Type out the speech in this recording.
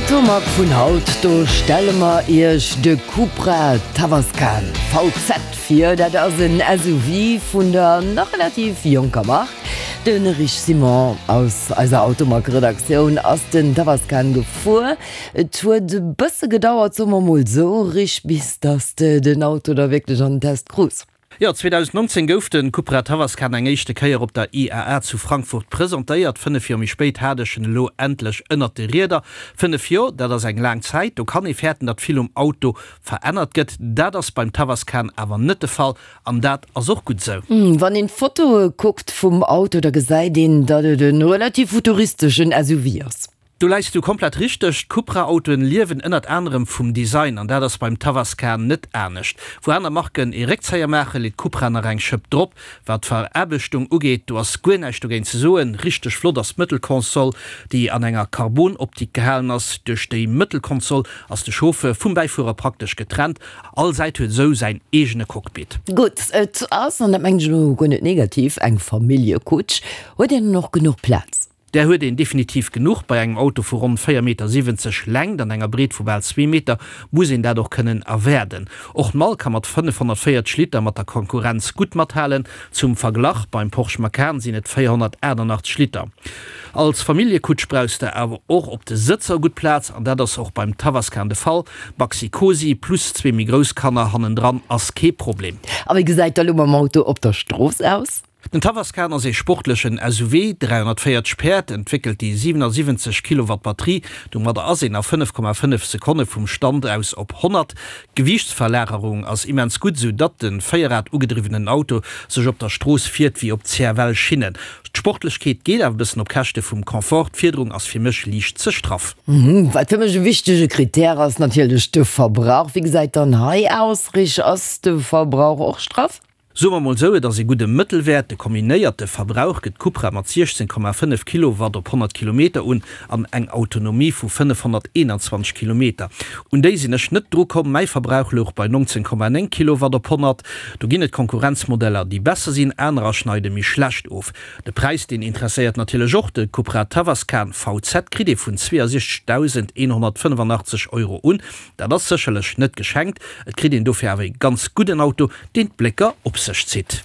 Automag vun haut, do stelle mer iech de Cupra Tavascan VZ vir. Dat ass en SUV vun der nach relativ jonker Mark. De Rich Simon aus eiser Automag-Redaktioun ass den Tavascan gefuer. Et huet e bësse gedauert, soe mer mol esou, Rich, bis dass de den Auto da wierklech an den Test krus. Jo, 2019 gouf de Cupra Tavascan eng éischte Kéier op der IAA zu Frankfurt presentéiert. 5 Joer méi spéit hat ech en elo endlech ënnert de Rieder. 5 Joer, dat ass eng laang Zäit. Do kann ee fäerten, datt vill um Auto verännert gëtt. Dat ass beim Tavascan awer net de Fall an dat ass och gutt esou. Wann een d'Fotoe kuckt vum Auto, da gesäit een, datt et e relativ futuristeschen SUV ass. Do läis du komplett richteg, d'Cupra-Autoen liewen ënnert anerem vum Design an dat ass beim Tavascan net anescht. Wou aner Marken ee Réckzéier maachen, leet Cupra nach eng Schëpp drop. Wat d'Veraarbechtung ugeet, do ass guer näischt dogéint ze soen. Richteg flott ass d'Mëttelkonsol, déi an enger Carbon-Optik gehalen ass. Duerch déi Mëttelkonsol ass de Chauffeur vum Bäifuerer praktesch getrennt, all Säit huet esou säin eegene Cockpit. Gutt, et ass, an dat mengen ech elo guer net negativ, eng Familljekutsch. Huet een dann och genuch Plaz? Där huet een definitiv genuch. Bei engem Auto vu ronn 4,70 Meter Längt an enger Breet vu bal zwee Meter muss een dat och kënnen erwaarden. Och d'Mall ka mat 540 Liter mat der Konkurrenz gutt mathalen. Zum Verglach, beim Porsche Macan sinn et 488 Liter. Als Familljekutsch brauchs de awer och op de Sëtzer gutt Plaz an dat ass och beim Tavascan de Fall. Maxi-Cosi plus zwee méi grouss Kanner hannendran ass kee Problem. A wéi gesäit da lo mam Auto op der Strooss aus? Den Tavascan ass ee sportlechen SUV, 340 Päerd, entwéckelt déi 77 Kilowatt Batterie. Domadder ass een a 5,5 Sekonne vum Stand aus op 100. D'Gewiichtsverlagerung ass immens gutt, sou datt de véierrad-ugedriwwenen Auto sech op der Strooss fiert wéi op CFL-Schinnen. D'Sportlechkeet geet awer e bëssen op Käschte vum Confort, d'Fiederung ass fir mech liicht ze straff. Wat fir mech e wichtege Krittär ass, natierlech de Verbrauch. Wéi gesäit dann hei aus, Rich? Ass de Verbrauch och straff? Soe mer mol sou, et ass ee gudde Mëttelwäert. De kombinéierte Verbrauch gëtt d'Cupra mat 16,5 Kilowatt op 100 Kilometer un an eng Autonomie vu 521 Kilometer. Un déi sinn ech net dru komm, mäi Verbrauch louch bei 19,9 Kilowatt op 100. Do ginn et Konkurrenzmodeller, déi besser sinn, anerer schneide méi schlecht of. De Präis, deen interesséiert natierlech och. De Cupra Tavascan VZ kritt ee vun 62.185 Euro un. Dat ass sécherlech net geschenkt, et kritt een dofir awer ee ganz gudden Auto, deen d'Blécker op sech zitt.